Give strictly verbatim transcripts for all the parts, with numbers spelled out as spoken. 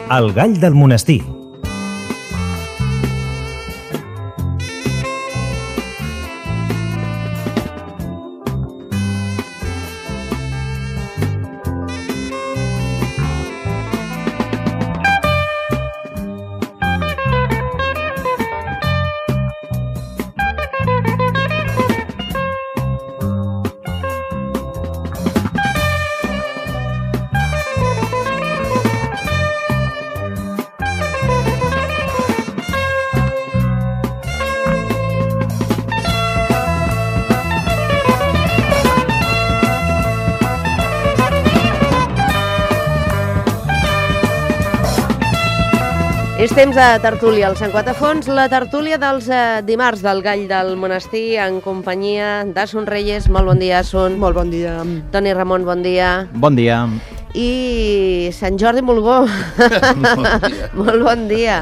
El gall del monestir. És temps de tertúlia al Sant Quatafons, la tertúlia dels eh, dimarts del Gall del Monestir en companyia d'Asun Reyes. Molt bon dia, Asun. Molt bon dia. Toni Ramon, bon dia. Bon dia. I Sant Jordi Mulgó. Bon dia. Molt bon dia.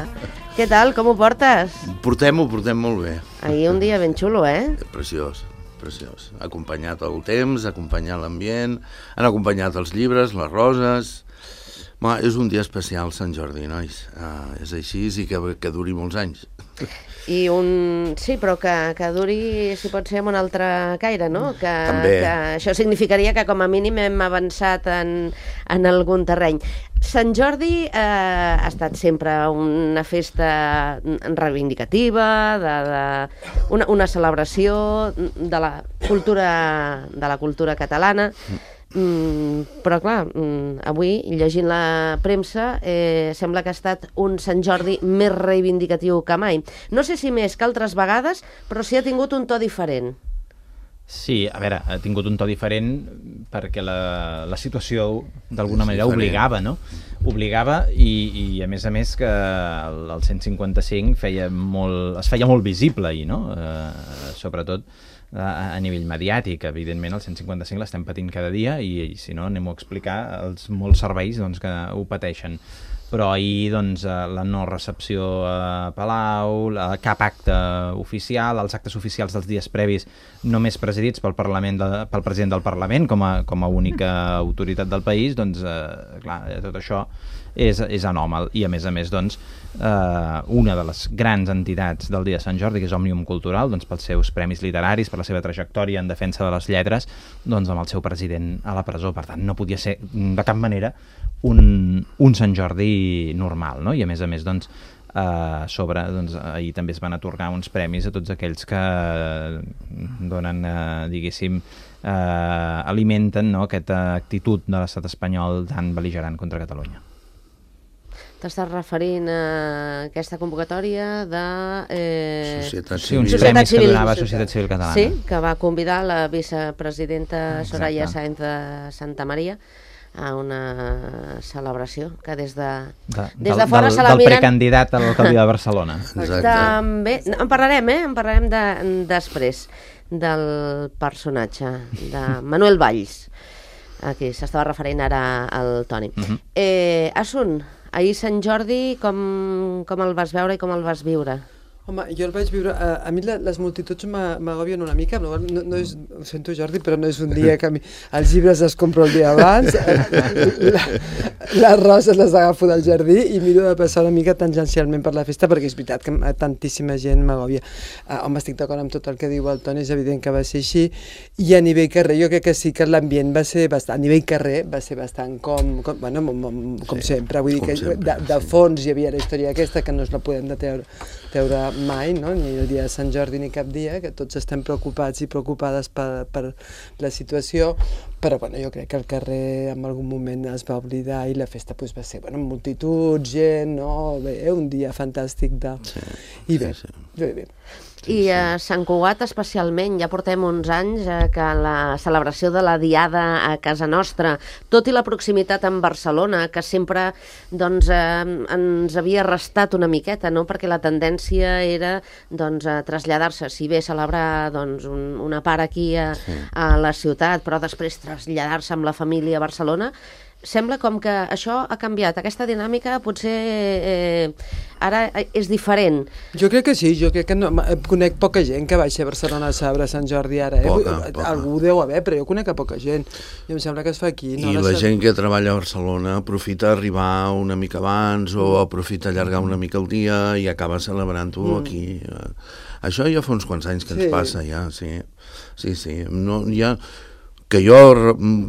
Què tal, com ho portes? Portem-ho, portem molt bé. Ahir un dia ben xulo, eh? Preciós, preciós. Ha acompanyat el temps, ha acompanyat l'ambient, han acompanyat els llibres, les roses. Ma, és un dia especial, Sant Jordi, nois. Uh, és així i que, que duri molts anys. I un... Sí, però que, que duri, si pot ser, amb un altre caire, no? Que, També. que això significaria que com a mínim hem avançat en, en algun terreny. Sant Jordi eh, ha estat sempre una festa reivindicativa, de, de, una, una celebració de la cultura, de la cultura catalana. Mm, però clar, mm, avui llegint la premsa eh, sembla que ha estat un Sant Jordi més reivindicatiu que mai. No sé si més que altres vegades, però sí ha tingut un to diferent. Sí, a veure, ha tingut un to diferent perquè la, la situació d'alguna És manera diferent. obligava, no? Obligava i, i a més a més que el, el cent cinquanta-cinc feia molt, es feia molt visible ahir, no? Eh, sobretot a, a nivell mediàtic. Evidentment el cent cinquanta-cinc l'estem patint cada dia i, i si no anem a explicar els molts serveis doncs, que ho pateixen. Però ahir doncs, la no recepció a Palau, la, cap acte oficial, els actes oficials dels dies previs només presidits pel, Parlament de, pel president del Parlament com a, com a única autoritat del país, doncs eh, clar, tot això és, és anòmal. I a més a més doncs, eh, una de les grans entitats del dia de Sant Jordi, que és Òmnium Cultural, doncs, pels seus premis literaris, per la seva trajectòria en defensa de les lletres, doncs amb el seu president a la presó. Per tant, no podia ser de cap manera un, un Sant Jordi normal, no? I a més a més, doncs, eh, sobre, doncs, ahir també es van atorgar uns premis a tots aquells que donen, eh, diguéssim, eh, alimenten, no?, aquesta actitud de l'estat espanyol tan bel·ligerant contra Catalunya. T'estàs referint a aquesta convocatòria de... Eh... Societat Sí, uns Civil. Societat premis que Civil. donava Societat Civil Catalana. Sí, que va convidar la vicepresidenta Exacte. Soraya Sáenz de Santa Maria a una celebració que des de, De, des del, de fora del, se la del miren... precandidat a l'alcaldia de Barcelona. Exacte. També, en parlarem, eh? En parlarem de, després del personatge de Manuel Valls. Aquí s'estava referint ara al Toni. Uh-huh. eh, Asun, ahir Sant Jordi, com, com el vas veure i com el vas viure? Home, jo el vaig viure... A, a mi la, les multituds m'agobien una mica, no, no, no és, ho sento Jordi, però no és un dia que a mi, els llibres els compro el dia abans, la, les roses les agafo del jardí i miro de passar una mica tangencialment per la festa, perquè és veritat que tantíssima gent m'agòbia. Uh, home, estic d'acord amb tot el que diu el Toni, és evident que va ser així, i a nivell carrer jo crec que sí que l'ambient va ser bastant, a nivell carrer va ser bastant com, com, bueno, com, com sí, sempre, vull dir que sempre, de, de fons hi havia la història aquesta, que no es la podem de treure, treure mai, no? Ni el dia de Sant Jordi ni cap dia, que tots estem preocupats i preocupades per, per la situació, però bueno, jo crec que el carrer en algun moment es va oblidar i la festa pues, va ser bueno, multitud, gent, no? Bé, un dia fantàstic de... Sí, I bé, sí, sí. bé, bé. I a Sant Cugat especialment, ja portem uns anys eh, que la celebració de la Diada a casa nostra, tot i la proximitat amb Barcelona, que sempre doncs, eh, ens havia restat una miqueta, no? Perquè la tendència era doncs, a traslladar-se, si bé celebrar doncs, un, una part aquí a, Sí. a la ciutat, però després traslladar-se amb la família a Barcelona. sembla com que això ha canviat. Aquesta dinàmica potser eh, ara és diferent. Jo crec que sí, jo crec que no, conec poca gent que baixa a Barcelona a saber Sant Jordi ara. Eh? Poca, poca. Algú deu haver, però jo conec a poca gent. I em sembla que es fa aquí. No? I la gent que treballa a Barcelona aprofita arribar una mica abans o aprofita allargar una mica el dia i acaba celebrant-ho mm. aquí. Això ja fa uns quants anys que ens sí. passa, ja, sí. Sí, sí. No, ja, que jo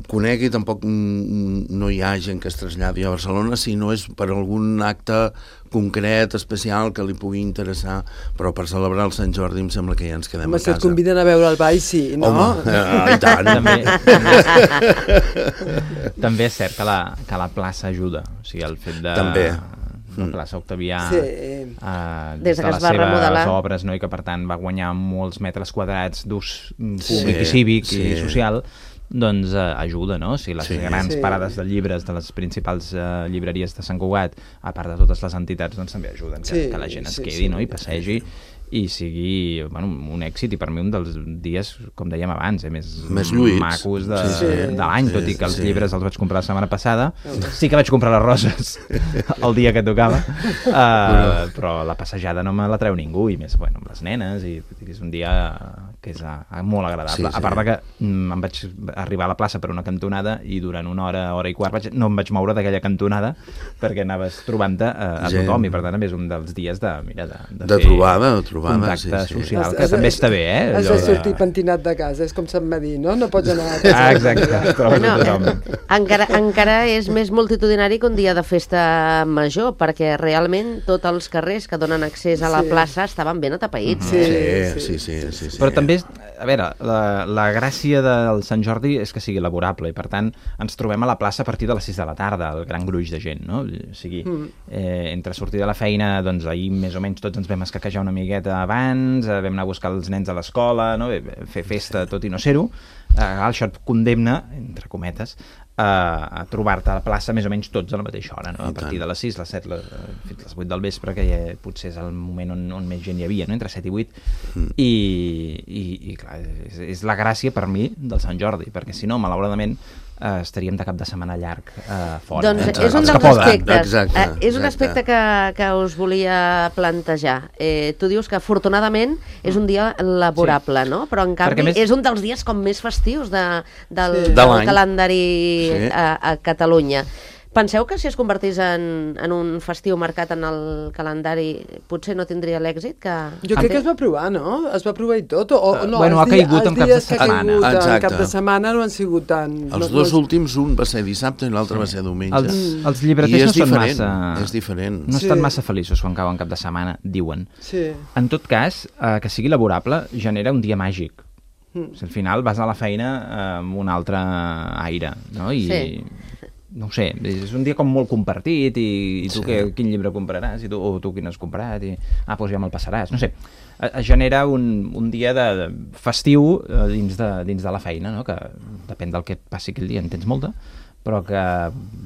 conegui, tampoc no hi ha gent que es traslladi a Barcelona, si no és per algun acte concret, especial, que li pugui interessar, però per celebrar el Sant Jordi em sembla que ja ens quedem Home, a casa. si et conviden a veure el ball, sí, no? Home, eh, i tant. També, també és cert que la, que la plaça ajuda, o sigui, el fet de... També. La plaça Octavià, sí. uh, des de que les es va seves remodelar. obres, no? I que per tant va guanyar molts metres quadrats d'ús Sí, públic i cívic sí. i social, doncs uh, ajuda, no? O sigui, les Sí. grans Sí. parades de llibres de les principals uh, llibreries de Sant Cugat, a part de totes les entitats, doncs també ajuden que, Sí, que la gent es sí, quedi, sí. no? I passegi i sigui, bueno, un èxit, i per mi un dels dies, com dèiem abans, eh, més, Més lluïts. macos de, Sí, sí. de l'any, Sí, tot i que els sí. llibres els vaig comprar la setmana passada. Sí que vaig comprar les roses el dia que tocava, uh, però la passejada no me la treu ningú, i més, bueno, amb les nenes, i és un dia que és uh, molt agradable. Sí, sí. A part de que mm, em vaig arribar a la plaça per una cantonada i durant una hora, hora i quart vaig, no em vaig moure d'aquella cantonada perquè anaves trobant-te uh, a Gent. tothom, i per tant és un dels dies de, mira, de, de, De fer trobada, de trobada, contacte sí, sí. social, Has- que has- també està bé, eh? Has allò de sortir pentinat de casa, és com Sant Madí, no? No pots anar a casa. Ah, exacte, es troba No, tothom. eh, encara, encara és més multitudinari que un dia de festa major, perquè realment tots els carrers que donen accés a la Sí. plaça estaven ben atapeïts. Sí, Sí, sí. sí, sí, sí, sí. Però també, a veure, la, la gràcia del Sant Jordi és que sigui laborable, i per tant ens trobem a la plaça a partir de les sis de la tarda, el gran gruix de gent, no? O sigui, eh, entre sortir de la feina, doncs ahir més o menys tots ens vam escaquejar una miqueta abans, eh, vam anar a buscar els nens a l'escola, no? Fer festa tot i no ser-ho, eh, això et condemna, entre cometes, a, a trobar-te a la plaça més o menys tots a la mateixa hora, no? A partir de les sis, les set, les, fins les vuit del vespre, que ja potser és el moment on, on més gent hi havia, no? Entre set i vuit, mm. i, i, i clar, és, és la gràcia per mi del Sant Jordi, perquè si no, malauradament, eh, estaríem de cap de setmana llarg eh, fora. Doncs eh? és un Els dels que poden. aspectes, Exacte, eh, és un exacte. aspecte que, que us volia plantejar. Eh, tu dius que afortunadament és un dia laborable, Sí. no? Però en canvi Perquè més- és un dels dies com més festius de, del, Sí. del De l'any. calendari Sí. a, a Catalunya. Penseu que si es convertís en, en un festiu marcat en el calendari potser no tindria l'èxit que... Jo crec que es va provar, no? Es va provar i tot. O, o no, Bueno, els ha di- caigut els en caps de dies que ha setmana. caigut en Exacte. cap de setmana no han sigut tan... Els no, dos no, últims, un va ser dissabte i l'altre va ser diumenge. Els, els I llibreters és no són diferent, massa... és diferent. No Sí. estan massa feliços quan cauen cap de setmana, diuen. Sí. En tot cas, eh, que sigui laborable genera un dia màgic. Mm. O sigui, al final vas a la feina eh, amb un altre aire, no? I, Sí. no ho sé, és un dia com molt compartit, i, i tu Sí. què, quin llibre compraràs, i tu, o tu quin has comprat, i ah, doncs ja me'l passaràs, no sé. Eh, Es genera un, un dia de, de festiu eh, dins, de, dins de la feina, no? Que depèn del que passi aquell dia, en tens molta, però que,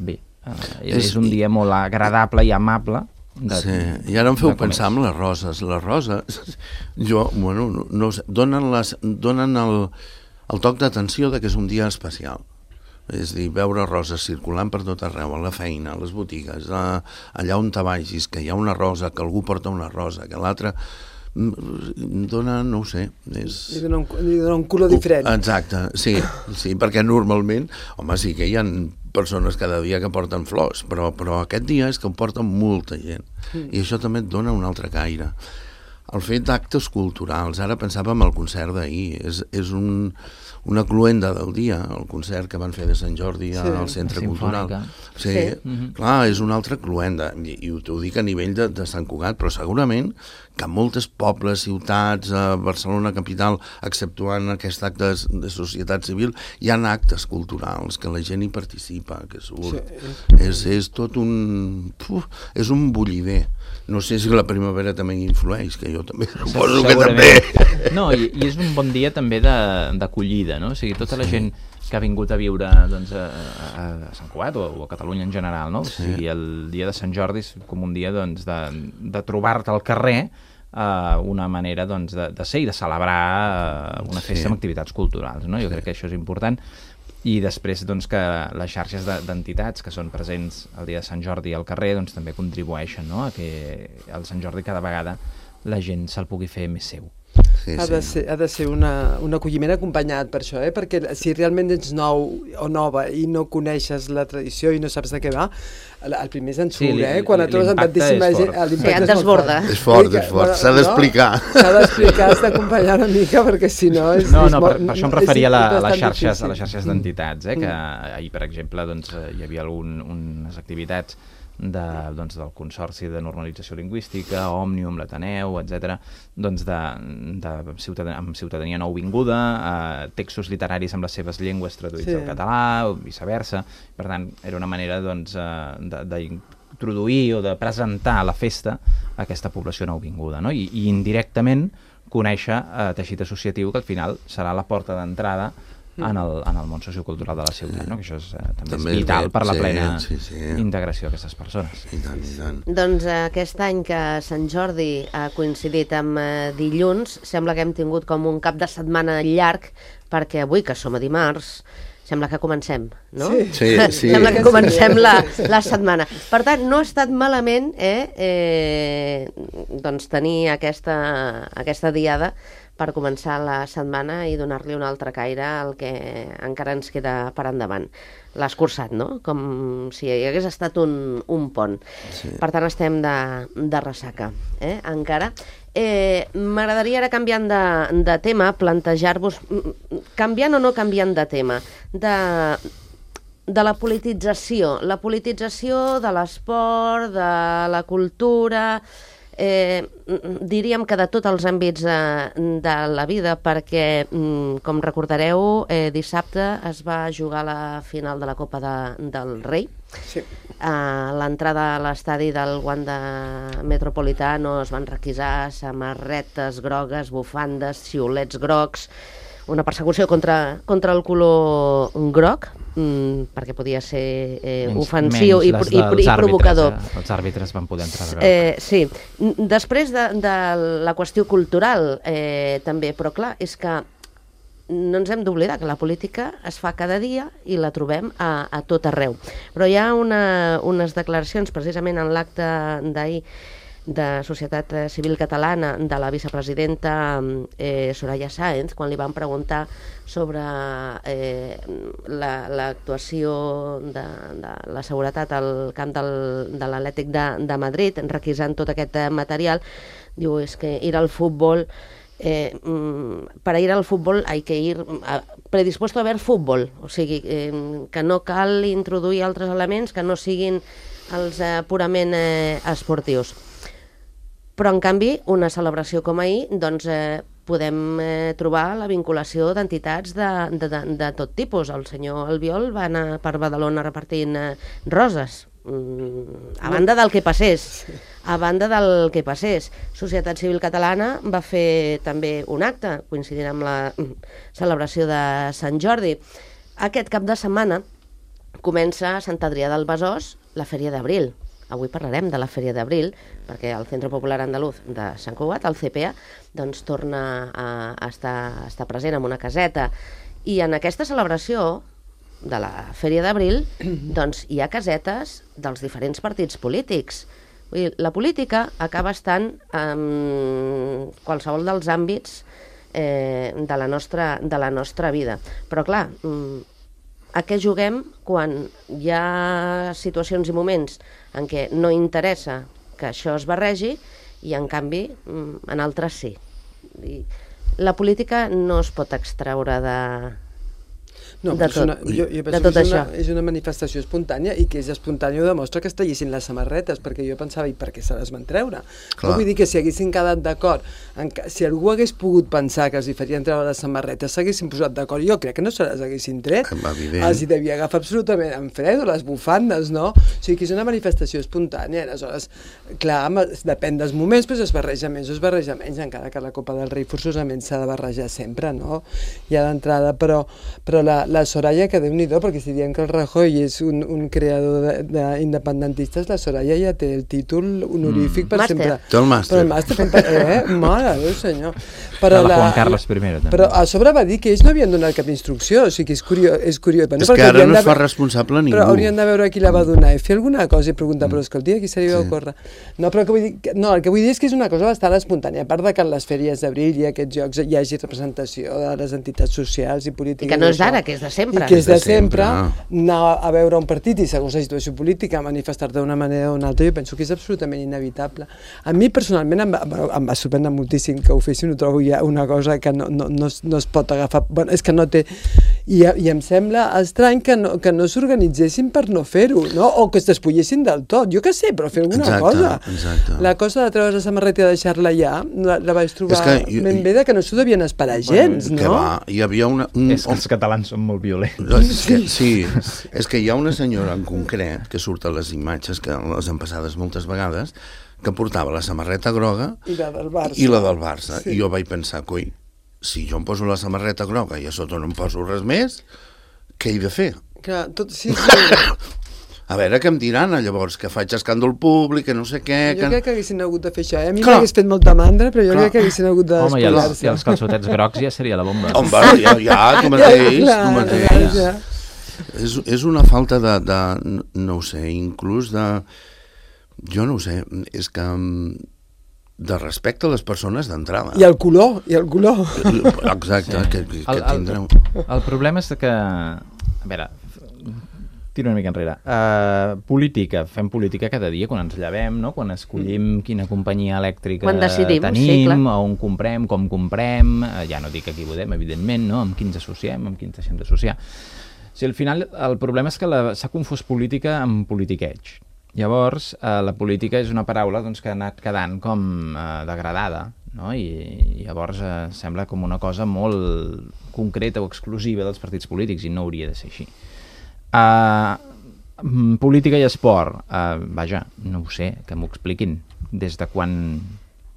bé, eh, és, És- és un dia molt agradable i amable. De, Sí, i ara em feu de com pensar és. en les roses. Les roses, jo, bueno, no, no ho sé, donen, les, donen el, el toc d'atenció de que és un dia especial. És a dir, veure roses circulant per tot arreu, a la feina, a les botigues, a, allà on te vagis, que hi ha una rosa, que algú porta una rosa, que l'altre mm, dona, no ho sé, és... Li dona un, li dona un color diferent. Exacte, sí, sí, perquè normalment, home, sí que hi ha persones cada dia que porten flors, però, però aquest dia és que ho porten molta gent, i això també et dona un altre caire. El fet d'actes culturals, ara pensàvem al concert d'ahir, és, és un, una cluenda del dia, el concert que van fer de Sant Jordi Sí, al Centre la Cultural. Simfònica. Sí, Sí. sí. Clar, és una altra cluenda, i, i t'ho dic a nivell de, de Sant Cugat, però segurament que en moltes pobles, ciutats, a Barcelona capital, exceptuant aquest acte de, de societat civil, hi ha actes culturals, que la gent hi participa, que surt. Sí. És, és tot un... Uf, és un bullider. No sé si la primavera també hi influeix, que jo també suposo que també. Segurament. No, i, i és un bon dia també de- d'acollida, no? O sigui, tota la gent que ha vingut a viure doncs, a, a, a Sant Cugat o, o a Catalunya en general, no? O sigui, el dia de Sant Jordi és com un dia doncs, de, de trobar-te al carrer, eh, una manera doncs, de, de ser i de celebrar eh, una festa Sí. amb activitats culturals, no? Jo crec que això és important. i després doncs, que les xarxes d'entitats que són presents el dia de Sant Jordi al carrer doncs, també contribueixen, no?, a que el Sant Jordi cada vegada la gent se'l pugui fer més seu. Sí, ha, de ser, ha de ser una, un acolliment acompanyat per això, eh? Perquè si realment ets nou o nova i no coneixes la tradició i no saps de què va, el, el primer és ensurt, sí, eh? Quan et trobes amb tantíssima gent, l'impacte sí, és molt fort. És fort, és fort, s'ha d'explicar. No? S'ha d'explicar, has d'acompanyar una mica, perquè si no... És, no, és no, molt, per, per això em referia a, la, a les xarxes, difícil. a les xarxes d'entitats, eh? Que ahir, per exemple, doncs, hi havia algun, unes activitats de, doncs, del Consorci de Normalització Lingüística, Òmnium, l'Ateneu, etcètera, doncs de, de ciutadania, amb ciutadania nouvinguda, eh, textos literaris amb les seves llengües traduïts sí. al català, o viceversa. Per tant, era una manera doncs, eh, d'introduir o de presentar a la festa aquesta població nouvinguda, no? I, i indirectament conèixer eh, teixit associatiu, que al final serà la porta d'entrada en el, en el món sociocultural de la ciutat, no? Que això és, eh, també, també és vital per la plena sí, sí, sí. integració d'aquestes persones. I tant, i tant. Doncs eh, aquest any que Sant Jordi ha coincidit amb eh, dilluns, sembla que hem tingut com un cap de setmana llarg, perquè avui, que som a dimarts, sembla que comencem, no? Sí, sí. sí. Sembla que comencem la, la setmana. Per tant, no ha estat malament eh, eh, doncs tenir aquesta, aquesta diada per començar la setmana i donar-li un altre caire al que encara ens queda per endavant. L'ha escurçat, no? Com si hi hagués estat un, un pont. Sí. Per tant, estem de, de ressaca, eh? encara. Eh, M'agradaria ara, canviant de, de tema, plantejar-vos, canviant o no canviant de tema, de, de la politització, la politització de l'esport, de la cultura... Eh, diríem que de tots els àmbits de, de la vida, perquè, com recordareu, eh, dissabte es va jugar la final de la Copa de, del Rei. Sí. A l'entrada a l'estadi del Wanda Metropolitano es van requisar samarretes grogues, bufandes, xiulets grocs, una persecució contra, contra el color groc, mm, perquè podia ser eh, menys, ofensiu menys i, i, i provocador. Eh? Els àrbitres van poder entrar de groc. Eh, sí. Després de, de la qüestió cultural, eh, també, però clar, és que no ens hem d'oblidar que la política es fa cada dia i la trobem a, a tot arreu. Però hi ha una, unes declaracions, precisament en l'acte d'ahir, de Societat Civil Catalana, de la vicepresidenta eh, Soraya Sáenz, quan li van preguntar sobre eh, l'actuació la, de, de la seguretat al camp del, de l'Atlètic de, de Madrid, requisant tot aquest material, diu, és que ir al futbol... Eh, para ir al fútbol hay que ir a, predispuesto a ver fútbol, o sigui, eh, que no cal introduir altres elements que no siguin els eh, purament eh, esportius. Però, en canvi, una celebració com ahir, doncs, eh, podem eh, trobar la vinculació d'entitats de, de, de, de tot tipus. El senyor Albiol va anar per Badalona repartint eh, roses, mm, a banda del que passés. A banda del que passés. Societat Civil Catalana va fer també un acte, coincidint amb la celebració de Sant Jordi. Aquest cap de setmana comença a Sant Adrià del Besòs la Fèria d'Abril. Avui parlarem de la Fèria d'Abril, perquè el Centre Popular Andaluz de Sant Cugat, el C P A, doncs torna a estar, a estar present en una caseta. I en aquesta celebració de la Fèria d'Abril, doncs hi ha casetes dels diferents partits polítics. Vull dir, la política acaba estant en qualsevol dels àmbits eh, de, la nostra, de la nostra vida. Però clar, a què juguem quan hi ha situacions i moments en què no interessa que això es barregi i en canvi en altres sí. I la política no es pot extraure de... No, de tot, una, jo, jo penso de tot que és això. Una, és una manifestació espontània i que és espontània ho demostra que es tallissin les samarretes, perquè jo pensava, i per què se les van treure? No vull dir que si haguessin quedat d'acord, si algú hagués pogut pensar que els hi farien treure les samarretes, s'haguessin posat d'acord, jo crec que no se les haguessin tret. Evident. Els hi devia agafar absolutament en fred, o les bufandes, no? O sigui que és una manifestació espontània, aleshores, clar, depèn dels moments, però es barreja més o es barreja menys, encara que la Copa del Rei forçosament s'ha de barrejar sempre, no? Ja d'entrada, però, però la la Soraya, que déu-n'hi-do, perquè si diem que el Rajoy és un, un creador d'independentistes, la Soraya ja té el títol honorífic mm. per màster. sempre. Té el màster. Però el màster, eh? Mare de Déu, senyor. Però de la la, Juan Carles I, també. Però a sobre va dir que ells no havien donat cap instrucció, o sigui que és curiós. És, curiós. Bueno, és que ara no es fa responsable ningú. Però haurien de veure qui la va donar i fer alguna cosa i preguntar, mm. però escolti, qui se li va sí. ocórrer? No, però que vull dir, no, el que vull dir és que és una cosa bastant espontània, a part de que en les fèries d'abril i aquests jocs hi hagi representació de les entitats socials i polítiques. I que no és d'ara, que és de sempre. I que és de sempre, sempre anar a veure un partit i segons la situació política manifestar-te d'una manera o una altra, jo penso que és absolutament inevitable. A mi personalment em va, em va sorprendre moltíssim que ho fessin, ho trobo ja una cosa que no, no, no, es, no es pot agafar, bueno, és que no té, i, i em sembla estrany que no, que no s'organitzessin per no fer-ho, no? O que es despullessin del tot, jo què sé, però fer alguna exacte, cosa. Exacte. La cosa de treure's la samarreta i deixar-la allà, la, la vaig trobar que, jo, ben bé de que no s'ho devien esperar gens, bueno, no? Que va, hi havia una... Un, és que els catalans són molt violents. És que, sí, és que hi ha una senyora en concret, que surt a les imatges, que les han passades moltes vegades, que portava la samarreta groga i la del Barça. I la del Barça. Sí. I jo vaig pensar, coi, si jo em poso la samarreta groga i a sota no em poso res més, què he de fer? Clar, tot, sí, sí. A veure què em diran, llavors, que faig escàndol públic, que no sé què... Jo que... crec que haguessin hagut de fer això, eh? A mi m'hagués fet molta mandra, però jo clar. crec que haguessin hagut de Home, i els, despullar-se. i els calçotets grocs ja seria la bomba. Home, ja, ja, tu mateix, ja, clar, tu mateix. ja. És, és una falta de, de, no ho sé, inclús de... Jo no ho sé, és que... de respecte a les persones d'entrada. I el color, i el color. Exacte, sí. que, que, que el, tindreu... El, el problema és que... A veure, tiro una mica enrere. Uh, política, fem política cada dia quan ens llevem, no? Quan escollim mm. quina companyia elèctrica quan decidim, tenim, sí, on comprem, com comprem, uh, ja no dic a qui votem, evidentment, no? Amb qui ens associem, amb qui ens deixem d'associar. Si al final el problema és que s'ha confós política amb politiqueig. Llavors, eh, la política és una paraula doncs, que ha anat quedant com eh, degradada, no? I, i llavors eh, sembla com una cosa molt concreta o exclusiva dels partits polítics i no hauria de ser així. Uh, política i esport, uh, vaja, no ho sé, que m'ho expliquin. Des de quan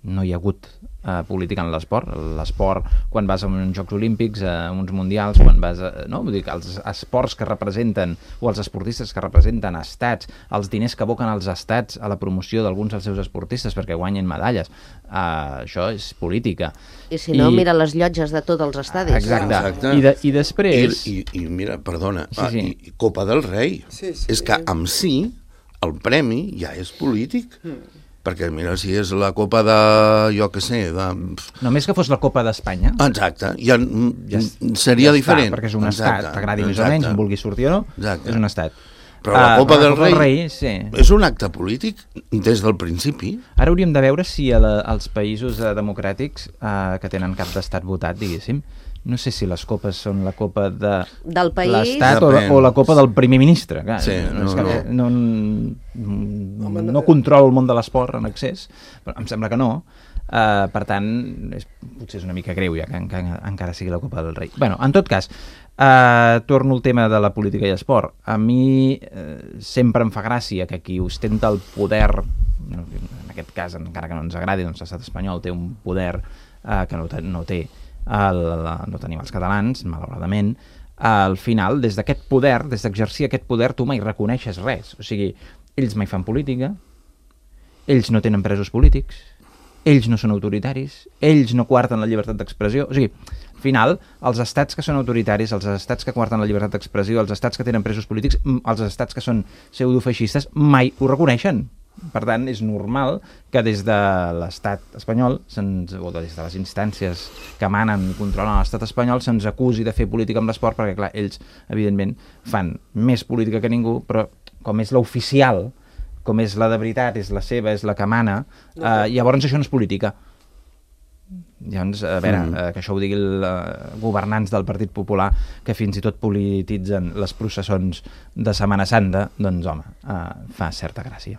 no hi ha hagut uh, política en l'esport? L'esport, quan vas a uns Jocs Olímpics, a uns Mundials, quan vas a... No? Vull dir que els esports que representen, o els esportistes que representen estats, els diners que aboquen els estats a la promoció d'alguns dels seus esportistes perquè guanyen medalles, uh, això és política. I si no, I... mira les llotges de tots els estadis. Exacte. Exacte. I, de, i després... I, i, I mira, perdona, sí, sí. I, i Copa del Rei. Sí, sí. És que amb si el premi ja és polític. Mm. Perquè mira, si és la Copa de... jo què sé, de... Només que fos la Copa d'Espanya. Exacte, ja, ja seria ja diferent. Està, perquè és un exacte, estat, t'agradi més o menys, en vulgui sortir o no, exacte. És un estat. Però la Copa, uh, del, la Copa Rei del Rei sí. és un acte polític des del principi. Ara hauríem de veure si a la, als països uh, democràtics uh, que tenen cap d'estat votat, diguéssim, no sé si les copes són la copa de del país l'estat o, o la copa del primer ministre. Clar, sí, no, no, que, no. no, no, no controlo el món de l'esport en excés, però em sembla que no. Uh, per tant, és, potser és una mica greu ja que, que encara sigui la Copa del Rei. Bueno, en tot cas, uh, torno al tema de la política i esport. A mi uh, sempre em fa gràcia que qui ostenta el poder, no, en aquest cas, encara que no ens agradi, doncs l'estat espanyol té un poder uh, que no, no té el, no tenim els catalans, malauradament. Al final, des d'aquest poder, des d'exercir aquest poder, tu mai reconeixes res. O sigui, ells mai fan política, ells no tenen presos polítics, ells no són autoritaris, ells no coarten la llibertat d'expressió. O sigui, al final, els estats que són autoritaris, els estats que coarten la llibertat d'expressió, els estats que tenen presos polítics, els estats que són pseudofeixistes, mai ho reconeixen. Per tant, és normal que des de l'estat espanyol, se'ns, o des de les instàncies que manen i controlen l'estat espanyol, se'ns acusi de fer política amb l'esport, perquè, clar, ells, evidentment, fan més política que ningú, però com és l'oficial, com és la de veritat, és la seva, és la que mana, eh, llavors això no és política. Llavors, a veure, mm. eh, que això ho digui els eh, governants del Partit Popular, que fins i tot polititzen les processons de Setmana Santa, doncs, home, eh, fa certa gràcia.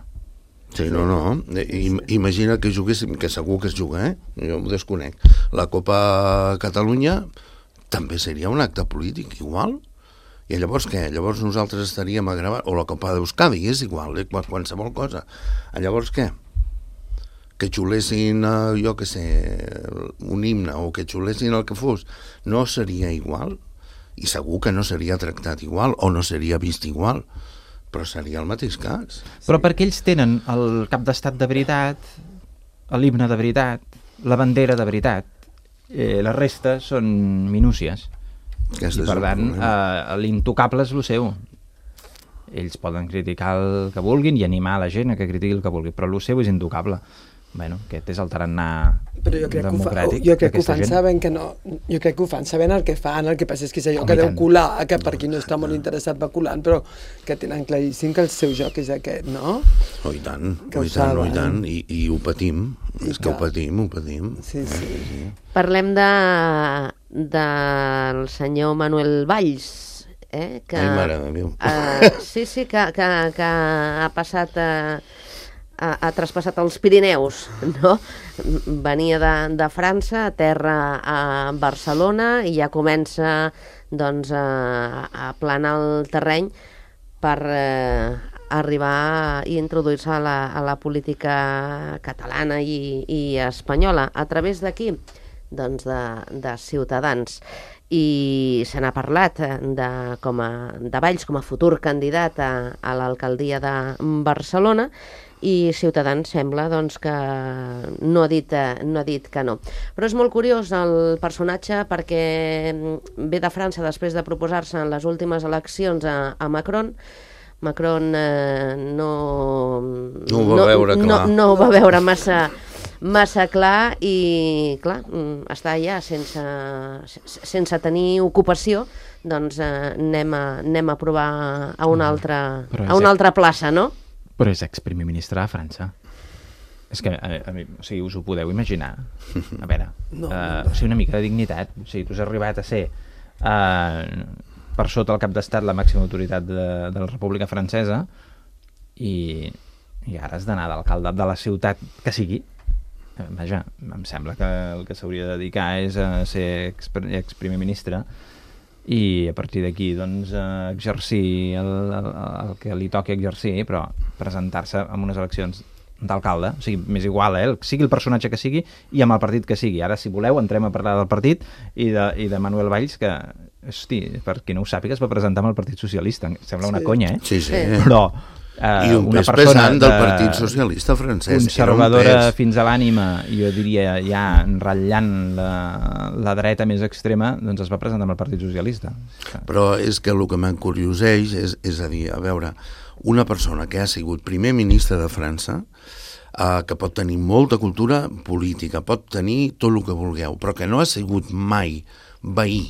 Sí, no, no. I, imagina que juguéssim, que segur que es juga, eh? Jo m'ho desconec. La Copa Catalunya també seria un acte polític, igual. I llavors què? Llavors nosaltres estaríem a gravar... O la Copa d'Euskadi, és igual, eh? Qualsevol cosa. Llavors què? Que xulessin, eh, jo què sé, un himne, o que xulessin el que fos. No seria igual? i segur que no seria tractat igual o no seria vist igual, però seria el mateix cas. Però perquè ells tenen el cap d'estat de veritat, l'himne de veritat, la bandera de veritat, eh, la resta són minúcies. Aquest I per tant, eh, l'intocable és el seu. Ells poden criticar el que vulguin i animar la gent a que critiqui el que vulgui, però el seu és intocable. Bueno, aquest és el tarannà Però jo crec que ho, fa, democràtic jo crec que ho d'aquesta fan gent. sabent que no, jo crec que ho fan sabent el que fan, el que passa és que és allò Com que i deu tant. colar, que per qui no està molt interessat va colant, però que tenen claríssim que el seu joc és aquest, no? Oh, i tant, Que oh, ho i tant, oh, i saben. tant, i, i ho patim, I és que ho clar. patim, ho patim. Sí, sí. Parlem de, del senyor Manuel Valls, eh? que, Ai, mare de Déu. eh, sí, sí, que, que, que ha passat a, ha, ha traspassat els Pirineus, no? Venia de, de França, a terra a Barcelona, i ja comença doncs, a, a planar el terreny per eh, arribar i introduir-se a, la, a la política catalana i, i espanyola. A través d'aquí? Doncs de, de Ciutadans. I se n'ha parlat de, com a, de Valls com a futur candidat a, a l'alcaldia de Barcelona, i Ciutadans sembla doncs, que no ha, dit, no ha dit que no. Però és molt curiós el personatge perquè ve de França després de proposar-se en les últimes eleccions a, a Macron. Macron eh, no, No ho va veure clar. No, no ho va veure massa, massa clar i, clar, està allà sense, sense tenir ocupació, doncs eh, anem, a, anem a provar a una altra, Però és a una altra plaça, no? Però és ex-primer ministre de França. És que, a, a mi, o sigui, us ho podeu imaginar? A veure, No, uh, o sigui, una mica de dignitat. O sigui, tu has arribat a ser, uh, per sota el cap d'estat, la màxima autoritat de, de la República Francesa, i, i ara has d'anar d'alcalde de la ciutat que sigui. Eh, Vaja, em sembla que el que s'hauria de dedicar és a ser ex, ex-primer ministre, i a partir d'aquí doncs, eh, exercir el, el, el que li toqui exercir, però presentar-se en unes eleccions d'alcalde, o sigui, m'és igual, eh, sigui el personatge que sigui i amb el partit que sigui. Ara, si voleu, entrem a parlar del partit i de, i de Manuel Valls, que, hosti, per qui no ho sàpiga, es va presentar amb el Partit Socialista. Sembla una Sí. conya, eh? Sí, sí. Però eh, I un una pes persona pesant del de- Partit Socialista francès. conservadora Era un pes. fins a l'ànima, i jo diria ja ratllant la, la dreta més extrema, doncs es va presentar amb el Partit Socialista. Però és que el que m'encurioseix és, és a dir, a veure, una persona que ha sigut primer ministre de França, eh, que pot tenir molta cultura política, pot tenir tot el que vulgueu, però que no ha sigut mai veí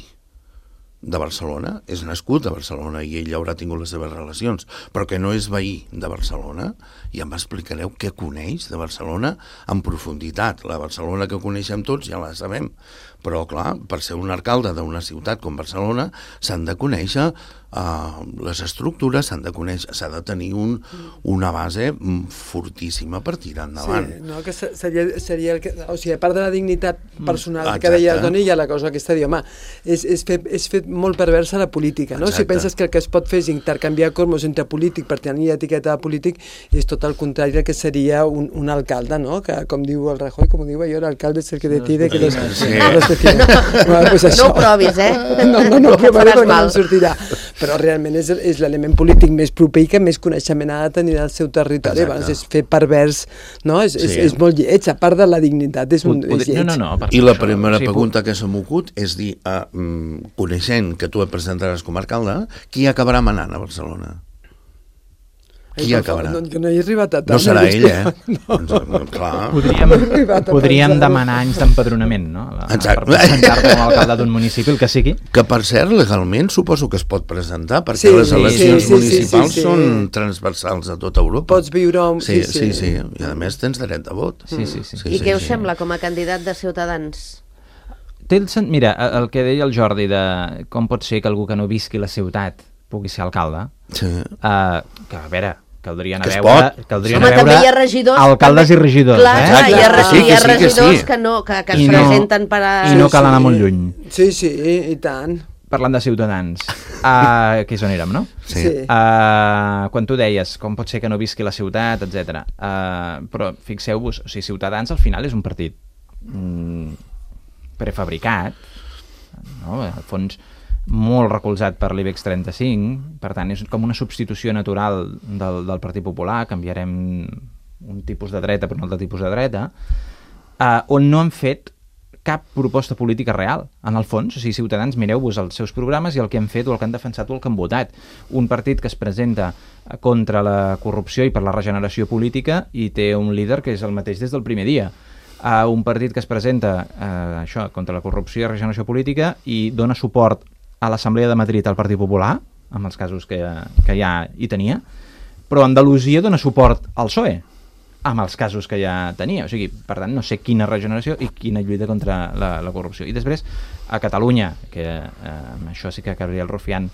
de Barcelona, és nascut a Barcelona i ell haurà tingut les seves relacions, però que no és veí de Barcelona, i em explicareu què coneix de Barcelona en profunditat. La Barcelona que coneixem tots ja la sabem, però clar, per ser un alcalde d'una ciutat com Barcelona s'han de conèixer uh, les estructures, s'han de conèixer, s'ha de tenir un, una base fortíssima per tirar endavant. Sí, no, que se- seria, seria el que, o sigui, a part de la dignitat personal Exacte. que deia el Toni, hi ha la cosa aquesta de dir, home, és, és, fer, és fer molt perversa la política, no? Exacte. Si penses que el que es pot fer és intercanviar cromos entre polític per tenir etiqueta de polític, és tot el contrari del que seria un, un alcalde, no? Que, com diu el Rajoy, com ho diu allò, l'alcalde és el que decide que los, Sí. los decide. Bueno, pues No això. ho provis, eh? No, no, no, Que però faràs no, no mal. em sortirà. Però realment és, és l'element polític més proper i que més coneixement ha de tenir del seu territori. Exacte. Abans és fer pervers, no? És, és, Sí. és molt lleig, a part de la dignitat, és, un, Pod- és lleig. no, no, no, per I la això, primera o sigui, pregunta que se m'ocut és dir, ah, mm, coneixent que tu et presentaràs com a alcalde, qui acabarà manant a Barcelona? Qui Ai, acabarà? No, jo no he arribat a tant. No serà ell, eh? No. No. Clar. Podríem, arribat a podríem pensar-ho. demanar anys d'empadronament, no? La- Exacte. Per presentar-te com a alcalde d'un municipi, el que sigui. Que, per cert, legalment suposo que es pot presentar, perquè Sí, les eleccions sí, sí, municipals sí, sí, sí. són transversals a tota Europa. Pots viure... Un... Sí, sí, sí, i a més tens dret de vot. Sí, sí, sí. I què us sembla com a candidat de Ciutadans? Té el sen... Mira, el que deia el Jordi de com pot ser que algú que no visqui la ciutat pugui ser alcalde, Sí. uh, que a veure, caldria anar Que a es veure, pot. caldria Home, anar a també veure hi ha regidors... alcaldes també- i regidors, Clar, eh? clar, hi ha, Exacte. re- Sí, hi ha que sí, que regidors sí. que, no, que, que I es no- presenten per a... I no Sí, cal anar sí. molt lluny. Sí, sí, i tant. Parlant de Ciutadans, uh, que és on érem, no? Sí. Sí. Uh, quan tu deies com pot ser que no visqui la ciutat, etcètera. Uh, però fixeu-vos, o sigui, Ciutadans al final és un partit mm, prefabricat, no? Al fons molt recolzat per l'I B E X trenta-cinc, per tant és com una substitució natural del, del Partit Popular, canviarem un tipus de dreta per un altre tipus de dreta, eh, on no han fet cap proposta política real, en el fons. O sigui, Ciutadans, mireu-vos els seus programes i el que han fet o el que han defensat o el que han votat. Un partit que es presenta contra la corrupció i per la regeneració política i té un líder que és el mateix des del primer dia. Uh, un partit que es presenta uh, això, contra la corrupció i regeneració política i dona suport a l'Assemblea de Madrid al Partit Popular, amb els casos que, que ja hi tenia, però Andalusia dona suport al P S O E, amb els casos que ja tenia. O sigui, per tant, no sé quina regeneració i quina lluita contra la, la corrupció. I després, a Catalunya, que eh, això sí que Gabriel Rufián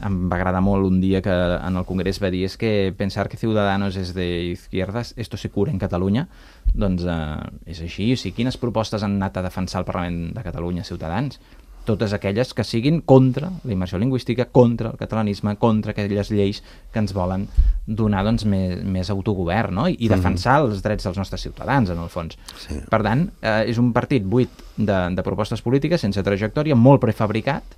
em va agradar molt un dia que en el Congrés va dir és que pensar que Ciudadanos és de izquierdas, esto se cura en Catalunya, doncs eh, és així. O sigui, quines propostes han anat a defensar el Parlament de Catalunya, Ciutadans? Totes aquelles que siguin contra la immersió lingüística, contra el catalanisme, contra aquelles lleis que ens volen donar doncs, més, més autogovern, no? I, i defensar mm-hmm. els drets dels nostres ciutadans, en el fons. Sí. Per tant, eh, és un partit buit de, de propostes polítiques, sense trajectòria, molt prefabricat,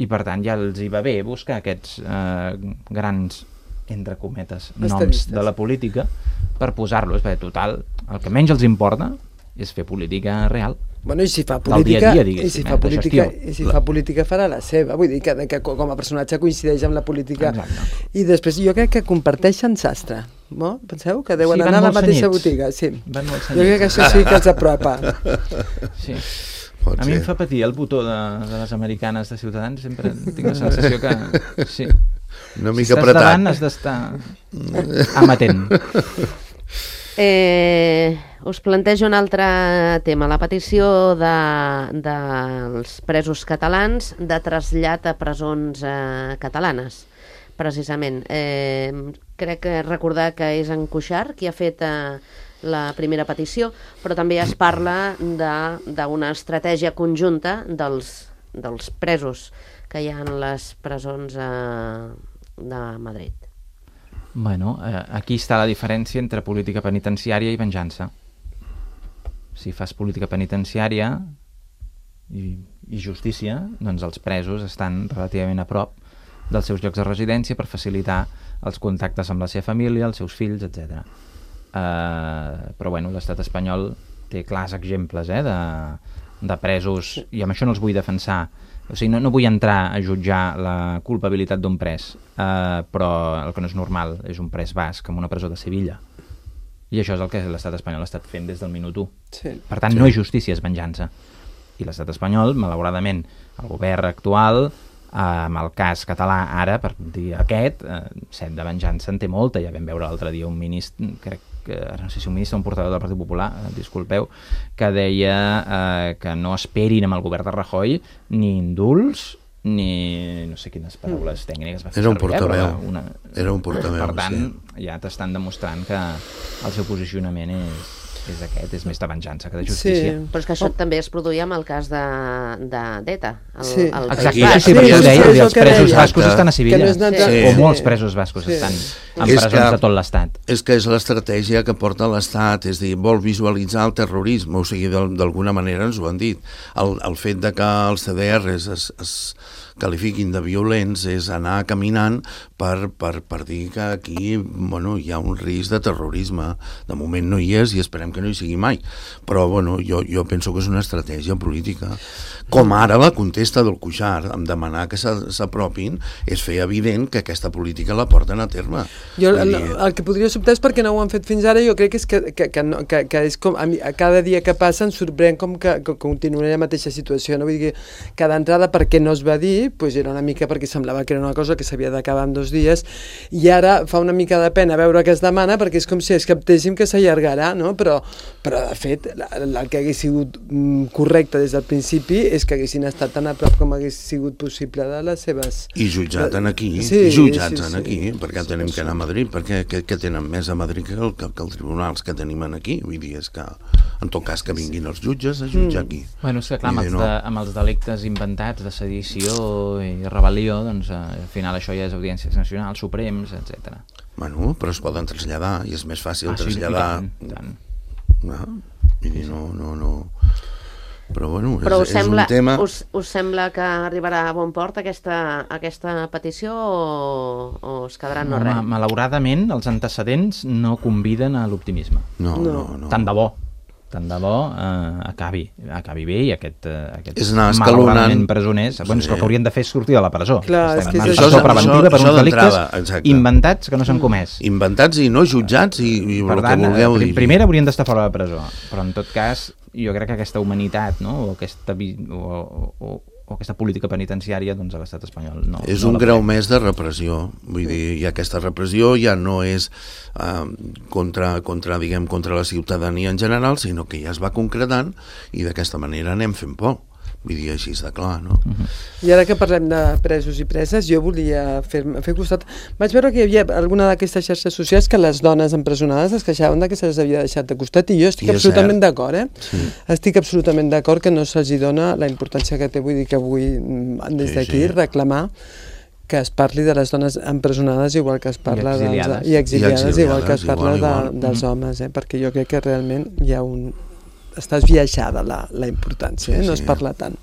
i per tant ja els hi va bé buscar aquests eh, grans, entre cometes, noms de la política per posar-los, perquè total, el que menys els importa és fer política real. Bueno, i si fa política, dia a dia, i si fa política, i si fa política farà la seva, vull dir que, que com a personatge coincideix amb la política. Exacte. I després jo crec que comparteixen sastre, no? Penseu que deuen sí, anar a la mateixa senyits. Botiga, sí. Van molt jo crec que això sí que els apropa. Sí. Pot a mi ser. Em fa patir el botó de, de les americanes de Ciutadans, sempre tinc la sensació que sí. Una mica si apretat. Estàs davant has d'estar amatent. Eh, us plantejo un altre tema, la petició de, dels presos catalans de trasllat a presons eh, catalanes, precisament. Eh, crec que recordar que és en Cuixart qui ha fet eh, la primera petició, però també es parla d'una estratègia conjunta dels, dels presos que hi ha en les presons eh, de Madrid. Bueno, eh, aquí està la diferència entre política penitenciària i venjança. Si fas política penitenciària i, i justícia, doncs els presos estan relativament a prop dels seus llocs de residència per facilitar els contactes amb la seva família, els seus fills, etcètera. Eh, però bueno, l'estat espanyol té clars exemples eh, de, de presos, i amb això no els vull defensar. O sigui, no, no vull entrar a jutjar la culpabilitat d'un pres, eh, però el que no és normal és un pres basc en una presó de Sevilla. I això és el que l'estat espanyol ha estat fent des del minut u. Sí. Per tant, sí. No és justícia, és venjança. I l'estat espanyol, malauradament, el govern actual, eh, amb el cas català ara, per dir aquest, eh, set de venjança en té molta. Ja vam veure l'altre dia un ministre, crec que no sé si un ministre o un portaveu del Partit Popular, eh, disculpeu, que deia eh, que no esperin amb el govern de Rajoy ni indults ni no sé quines paraules mm. tècniques va fer era un servir, portaveu, eh, una... era un portaveu, per tant, sí. Ja t'estan demostrant que el seu posicionament és, és aquest, és més de venjança que de justícia. Sí. Però és que això oh. també es produïa amb el cas de, de d'Eta. El, sí. el Exacte, sí, sí, sí, sí, sí, sí, els presos deia. bascos estan a Sevilla, no sí. Sí. o molts presos bascos sí. estan en és presons que, de tot l'estat. És que és l'estratègia que porta l'Estat, és dir, vol visualitzar el terrorisme, o sigui, d'alguna manera ens ho han dit. El, el fet de que els C D Rs es, es qualifiquin de violents és anar caminant per, per, per dir que aquí bueno, hi ha un risc de terrorisme. De moment no hi és i esperem que no hi sigui mai. Però bueno, jo, jo penso que és una estratègia política. Com ara la contesta del Cuixart, amb demanar que s'apropin, és fer evident que aquesta política la porten a terme. Jo el, el, el que podria sobtar és perquè no ho han fet fins ara, jo crec que és que, que, que, no, que, que és com, a, mi, a cada dia que passa ens sorprèn com que, que continuarà la mateixa situació, no? Vull dir que cada entrada perquè no es va dir, pues era una mica perquè semblava que era una cosa que s'havia d'acabar en dos dies, i ara fa una mica de pena veure què es demana, perquè és com si es captéssim que s'allargarà, no? Però, però de fet, el que hagués sigut correcte des del principi és que haguessin estat tan a prop com hagués sigut possible de les seves... I jutjat en aquí, sí, jutjats sí, en aquí, sí. perquè sí, tenim sí. que anar a Madrid, perquè que, que tenen més a Madrid que, el, que, que els tribunals que tenim aquí, vull dir, és que en tot cas que vinguin els jutges a jutjar mm. aquí. Bueno, és que clar, amb els, de, amb els delictes inventats de sedició i rebel·lió, doncs eh, al final això ja és audiències nacionals, suprems, etcètera. Bueno, però es poden traslladar i és més fàcil ah, traslladar... Sí, tant, tant. No? I dir, no, no, no... Però, bueno, Però és, us, sembla, és un tema... us, us sembla que arribarà a bon port aquesta, aquesta petició o, o es quedarà no res? Malauradament, els antecedents no conviden a l'optimisme. No, no, no. Tant de bo. Tant de bo eh, acabi, acabi bé i aquest, eh, aquests malauradament presoners, sí. Bueno, és que el que haurien de fer és sortir de la presó. Clar, és que és això, presó preventiva això, per això uns delictes exacte. inventats que no s'han comès. Inventats i no jutjats i, i per el tant, que vulgueu dir. Primer haurien d'estar fora de la presó, però en tot cas jo crec que aquesta humanitat, no? o, aquesta, o, o, o aquesta política penitenciària doncs, a l'estat espanyol no. És no un grau més de repressió, vull dir, i aquesta repressió ja no és uh, contra, contra, diguem, contra la ciutadania en general, sinó que ja es va concretant i d'aquesta manera anem fent por. Vull dir, així està clar, no? Uh-huh. I ara que parlem de presos i preses, jo volia fer, fer costat... Vaig veure que hi havia alguna d'aquestes xarxes socials que les dones empresonades es queixaven de que se'ls havia deixat de costat, i jo estic I absolutament d'acord, eh? Sí. Estic absolutament d'acord que no se'ls dona la importància que té, vull dir que avui, des d'aquí, sí, sí. reclamar que es parli de les dones empresonades igual que es parla I exiliades, dels, i exiliades, I exiliades igual que es parla igual, igual. De, dels mm. homes, eh? Perquè jo crec que realment hi ha un... està esbiaixada la, la importància, eh? No sí, es parla tant.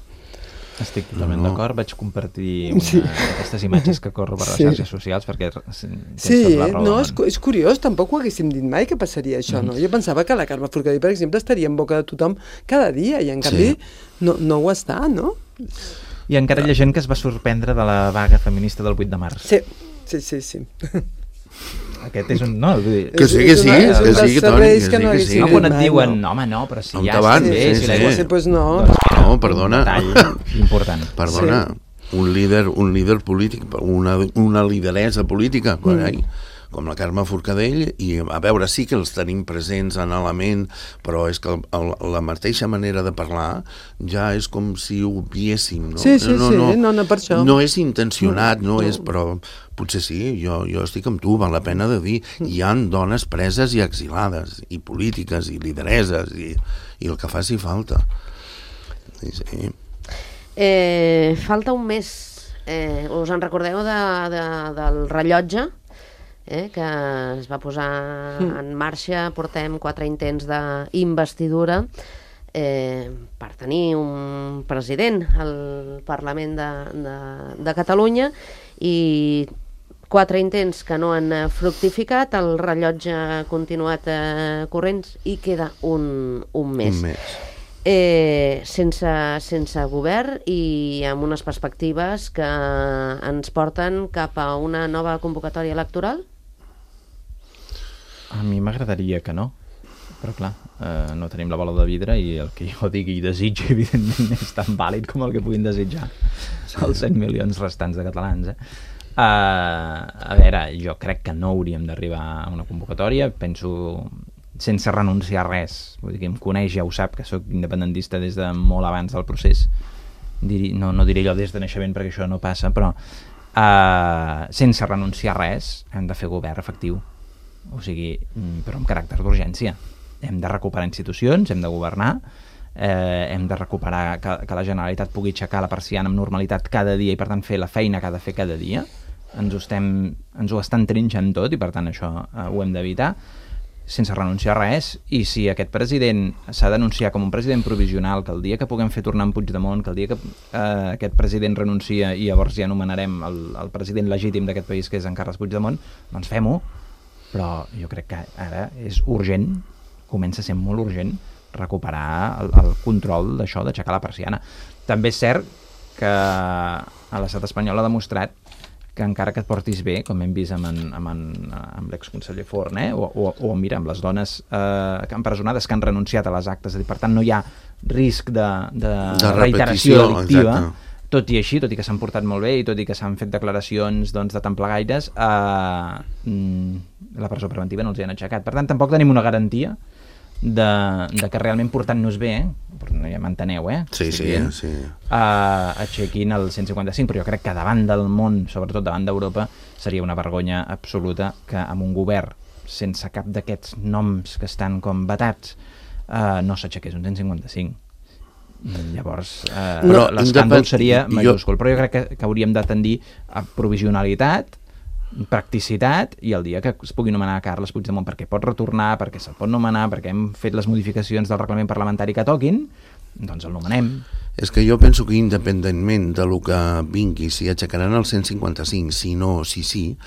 Estic totalment no. d'acord, vaig compartir una, sí. aquestes imatges que corro per les sí. xarxes socials perquè tens sí, la raó. No, és, és curiós, tampoc ho haguéssim dit mai que passaria això, mm. no? Jo pensava que la Carme Forcadell, per exemple, estaria en boca de tothom cada dia i en canvi sí. no, no ho està, no? I encara hi ha gent que es va sorprendre de la vaga feminista del vuit de març. Sí, sí, sí, sí. Aquest és un... No, vull dir... Que sí, que sí, que sí, que sí, Toni, que sí, que sí. No, quan et diuen, no, home, no, però si ja estan bé, sí, si la sí. Pues no. No, perdona. Un detall important. Perdona, sí. un líder, un líder polític, una, una lideresa política, mm. com la Carme Forcadell, i a veure, sí que els tenim presents en element, però és que el, el, la mateixa manera de parlar ja és com si ho obviéssim, no? Sí, sí, no, sí, no, no, no per això. No és intencionat, no, no. no és, però potser sí, jo, jo estic amb tu, val la pena de dir, hi han dones preses i exilades, i polítiques, i lidereses, i, i el que faci falta. Sí, sí. Eh, falta un mes, eh, us en recordeu de, de, del rellotge? Eh, que es va posar mm. en marxa, portem quatre intents d'investidura eh, per tenir un president al Parlament de, de, de Catalunya, i quatre intents que no han fructificat, el rellotge ha continuat eh, corrent i queda un, un mes. Un mes. Eh, sense, sense govern i amb unes perspectives que ens porten cap a una nova convocatòria electoral? A mi m'agradaria que no, però clar, eh, no tenim la bola de vidre i el que jo digui i desitgi, evidentment, és tan vàlid com el que puguin desitjar sí. els set milions restants de catalans. Eh? Uh, a veure, jo crec que no hauríem d'arribar a una convocatòria, penso sense renunciar a res. Vull dir, que em coneix, ja ho sap, que sóc independentista des de molt abans del procés. Diri, no, no diré allò des de naixement perquè això no passa, però uh, sense renunciar a res hem de fer govern efectiu. O sigui, però amb caràcter d'urgència. Hem de recuperar institucions, hem de governar, eh, hem de recuperar que, que la Generalitat pugui aixecar la persiana amb normalitat cada dia i per tant fer la feina que ha de fer cada dia. Ens ho, estem, ens ho estan trinxant tot i per tant això eh, ho hem d'evitar sense renunciar a res. I si aquest president s'ha d'anunciar com un president provisional, que el dia que puguem fer tornar en Puigdemont, que el dia que eh, aquest president renuncia i llavors ja anomenarem el, el president legítim d'aquest país, que és en Carles Puigdemont, doncs fem-ho. Però jo crec que ara és urgent, comença a ser molt urgent, recuperar el, el control d'això, d'aixecar la persiana. També és cert que a l'estat espanyol ha demostrat que encara que et portis bé, com hem vist amb, en, amb, en, amb l'exconseller Forn, eh? o, o, o mira, amb les dones eh, empresonades que han renunciat a les actes, és a dir, per tant no hi ha risc de, de, de reiteració delictiva, exacte. Tot i així, tot i que s'han portat molt bé i tot i que s'han fet declaracions doncs, de templegaires, eh, la presó preventiva no els hi han aixecat. Per tant, tampoc tenim una garantia de, de que realment portant-nos bé, eh, ja m'enteneu, eh? Sí, sí, dient, sí. Eh, aixequin el cent cinquanta-cinc, però jo crec que davant del món, sobretot davant d'Europa, seria una vergonya absoluta que amb un govern sense cap d'aquests noms que estan com vetats eh, no s'aixequés un cent cinquanta-cinc. Llavors eh, no, l'escàndol seria majúscul, jo... però jo crec que, que hauríem de tendir a provisionalitat, practicitat, i el dia que es pugui nomenar Carles Puigdemont perquè pot retornar, perquè se'l pot nomenar, perquè hem fet les modificacions del reglament parlamentari que toquin, doncs el nomenem. És que jo penso que independentment de lo que vingui, si aixecaran el cent cinquanta-cinc, si no, si sí,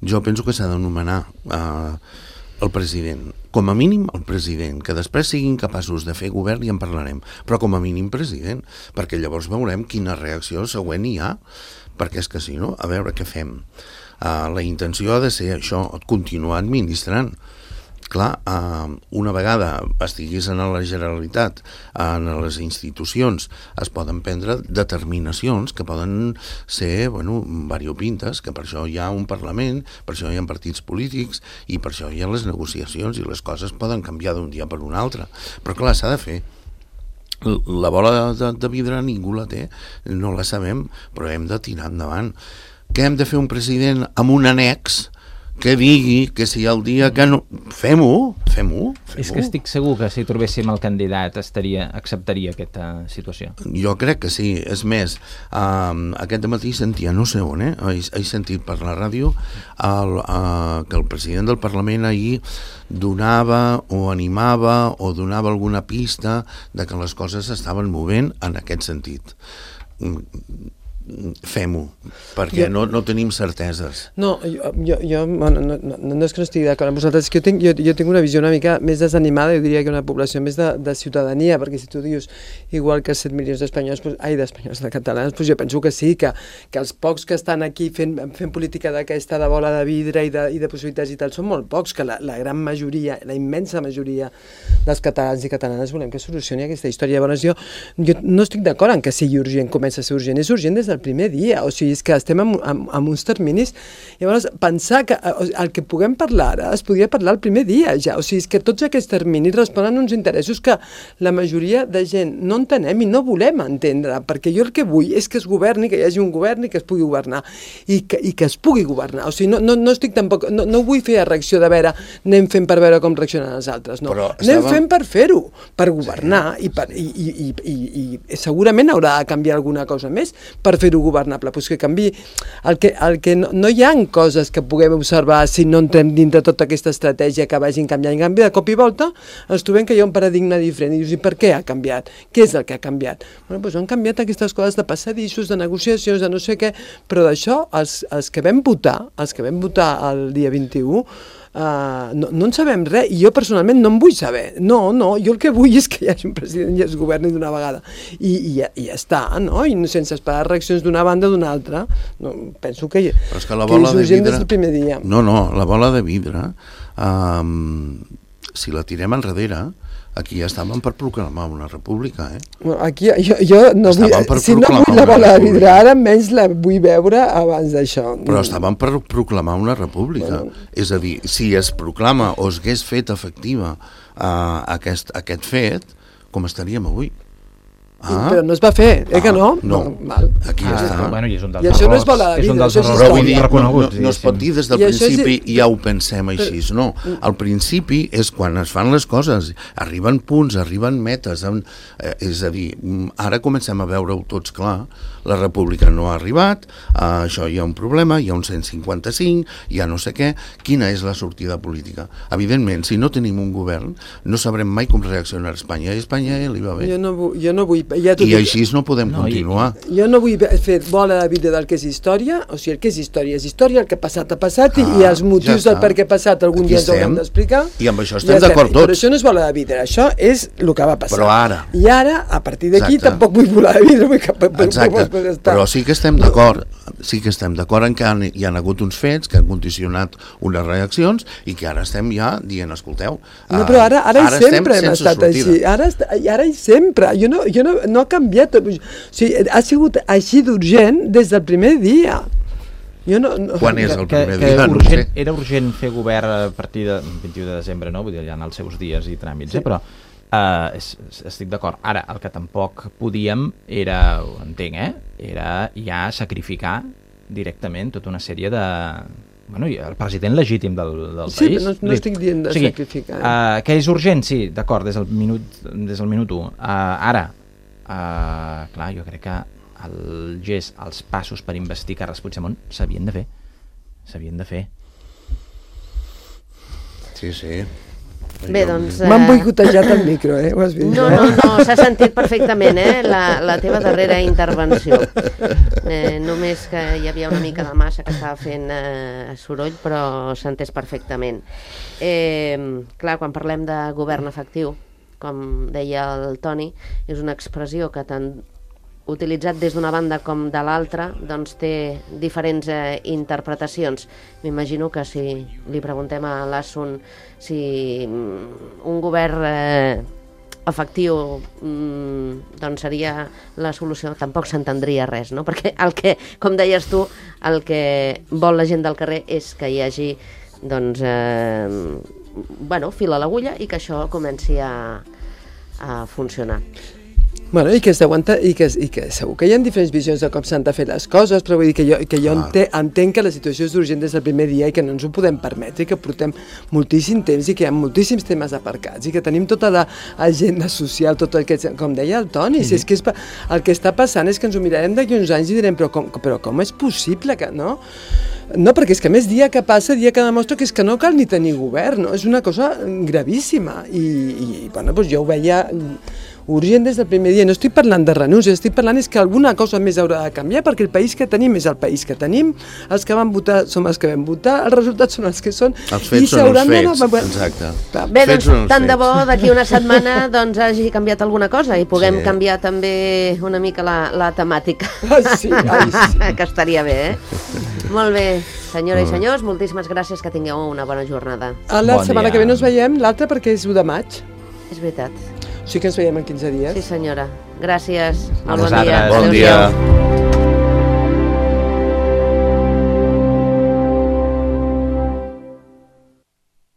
jo penso que s'ha de nomenar eh, el president. Com a mínim el president, que després siguin capaços de fer govern i en parlarem, però com a mínim president, perquè llavors veurem quina reacció següent hi ha, perquè és que si no, a veure què fem. Uh, la intenció ha de ser això, continuar administrant. Clar, uh, una vegada estiguis en la Generalitat, en les institucions, es poden prendre determinacions que poden ser, bueno, variopintes, que per això hi ha un Parlament, per això hi ha partits polítics i per això hi ha les negociacions i les coses poden canviar d'un dia per un altre. Però clar, s'ha de fer. La bola de, de vidre ningú la té, no la sabem, però hem de tirar endavant. Què hem de fer un president amb un annex que digui que si el dia que no... Fem-ho, fem-ho. Fem És que estic segur que si trobéssim el candidat estaria, acceptaria aquesta situació. Jo crec que sí. És més, um, aquest matí sentia, no sé on, eh? He, he sentit per la ràdio el, uh, que el president del Parlament ahir donava o animava o donava alguna pista de que les coses s'estaven movent en aquest sentit. Fem-ho, perquè jo, no, no tenim certeses. No, jo, jo, jo bueno, no, no, no és que no estigui d'acord amb vosaltres, és que jo tinc, jo, jo tinc una visió una mica més desanimada, jo diria que una població més de, de ciutadania, perquè si tu dius igual que set milions d'espanyols, pues, ai, d'espanyols, de catalans, pues jo penso que sí, que, que els pocs que estan aquí fent, fent política d'aquesta de bola de vidre i de, i de possibilitats i tal, són molt pocs, que la, la gran majoria, la immensa majoria dels catalans i catalanes volem que solucioni aquesta història. Llavors jo, jo no estic d'acord en que sigui urgent, comença a ser urgent, és urgent des del primer dia, o sigui, és que estem amb, amb, amb uns terminis, llavors pensar que el que puguem parlar ara es podria parlar el primer dia ja, o sigui, és que tots aquests terminis responen a uns interessos que la majoria de gent no entenem i no volem entendre, perquè jo el que vull és que es governi, que hi hagi un govern i que es pugui governar, i que, i que es pugui governar, o sigui, no, no, no estic tampoc, no, no vull fer reacció de veure, anem fent per veure com reaccionen els altres, no, però anem estàvem... fent per fer-ho, per governar, sí, i, per, i, i, i, i, i segurament haurà de canviar alguna cosa més per fer-ho governable, pues que canvi el que, el que no, no hi ha coses que puguem observar si no entrem dintre tota aquesta estratègia que vagin canviant. En canvi, de cop i volta ens trobem que hi ha un paradigma diferent i dius, i per què ha canviat? Què és el que ha canviat? Bueno, doncs han canviat aquestes coses de passadissos, de negociacions, de no sé què, però d'això els, els que vam votar, els que vam votar el dia vint-i-u, Uh, no, no en sabem res, i jo personalment no en vull saber, no, no, jo el que vull és que hi hagi un president i es governi d'una vegada i, i, ja, i ja està, no? I sense esperar reaccions d'una banda o d'una altra, no, penso que, però és que la bola que de vidre, des del primer dia. No, no, la bola de vidre um, si la tirem enrere, aquí ja estàvem per proclamar una república, eh? Bueno, aquí jo, jo no vull, si no vull la bola de vidre ara, menys la vull veure abans d'això. Però estàvem per proclamar una república. Bueno. És a dir, si es proclama o es hagués fet efectiva uh, aquest, aquest fet, com estaríem avui? Ah. Però no es va fer, eh, ah, que no? No, no val. Aquí ja ah, està. Bueno, i és un dels I això no és bola de vidre, això és història. No, no es pot dir des del principi i ja ho pensem així, no. Al principi és quan es fan les coses, arriben punts, arriben metes, en, eh, és a dir, ara comencem a veure-ho tots clar, la república no ha arribat, eh, això hi ha un problema, hi ha un cent cinquanta-cinc, hi ha no sé què, quina és la sortida política? Evidentment, si no tenim un govern, no sabrem mai com reaccionar Espanya, i Espanya li va bé. Jo no vull, jo no vull ja i així no podem no, continuar. I, jo no vull fer bola de vidre del que és història, o sigui, el que és història és història, el que ha passat ha passat, ah, i els motius ja del per què ha passat algun Aquí dia ens haurem d'explicar. I amb això estem ja d'acord tots. Però això no és bola de vidre, això és el que va passar. Però ara. I ara, a partir d'aquí, tampoc vull bola de vidre. Vull que, Exacte, però sí que estem d'acord, sí que estem d'acord en que hi ha hagut uns fets que han condicionat unes reaccions i que ara estem ja dient, escolteu... No, però ara, ara, ara i sempre hem estat sortida. Així. Ara, ara i sempre. Jo no, jo no, no ha canviat. O sigui, ha sigut així d'urgent des del primer dia. Jo no, no... Quan és el primer que, dia? Que urgent, era urgent fer govern a partir del vint-i-u de desembre, no? Vull dir, ja en els seus dies i tràmits, sí. eh? Però uh, és, estic d'acord. Ara, el que tampoc podíem era, ho entenc, eh? Era ja sacrificar directament tota una sèrie de... Bueno, el president legítim del, del sí, país. Sí, no, no estic dient de o sigui, sacrificar. Eh? Uh, que és urgent, sí, d'acord, des del minut des del minut u. Uh, ara, uh, clar, jo crec que el gest, els passos per investir Carles Puigdemont s'havien de fer. S'havien de fer. Sí, sí. Bé, doncs... M'han eh, boicotejat el micro, eh? Ho has vist, No, eh? no, no, s'ha sentit perfectament, eh, la, la teva darrera intervenció. Eh, només que hi havia una mica de massa que estava fent eh, soroll, però s'ha entès perfectament. Eh, clar, quan parlem de govern efectiu, com deia el Toni, és una expressió que tant utilitzat des d'una banda com de l'altra, doncs té diferents eh, interpretacions. M'imagino que si li preguntem a l'Assun si mm, un govern eh, efectiu mm, doncs seria la solució, tampoc s'entendria res, no? Perquè el que, com deies tu, el que vol la gent del carrer és que hi hagi doncs, eh, bueno, fil a l'agulla i que això comenci a, a funcionar. Bueno, i que s'aguanta, i, que, i que segur que hi ha diferents visions de com s'han de fer les coses, però vull dir que jo, que jo ente, entenc que la situació és urgent des del primer dia i que no ens ho podem permetre, i que portem moltíssim temps i que hi ha moltíssims temes aparcats i que tenim tota l'agenda social, tot el que, com deia el Toni, si és que és, el que està passant és que ens ho mirarem d'aquí uns anys i direm però com, però com és possible que no? No, perquè és que a més dia que passa, dia que demostra que és que no cal ni tenir govern, no? És una cosa gravíssima i, i bueno, doncs jo ho veia urgent des del primer dia. No estic parlant de renúncia, estic parlant és que alguna cosa més haurà de canviar perquè el país que tenim és el país que tenim, els que van votar som els que vam votar, els resultats són els que són. Els fets són els fets, exacte. Bé, doncs tant de bo d'aquí una setmana doncs hagi canviat alguna cosa i puguem sí. canviar també una mica la, la temàtica. Ah, sí, ai, sí. Que estaria bé, eh? Molt bé, senyora i senyors, moltíssimes gràcies, que tingueu una bona jornada. A la bon setmana dia. Que ve no ens veiem, l'altra perquè és u de maig. És veritat. Sí que ens veiem en quinze dies. Sí, senyora. Gràcies. Molt bon dia. Bon dia.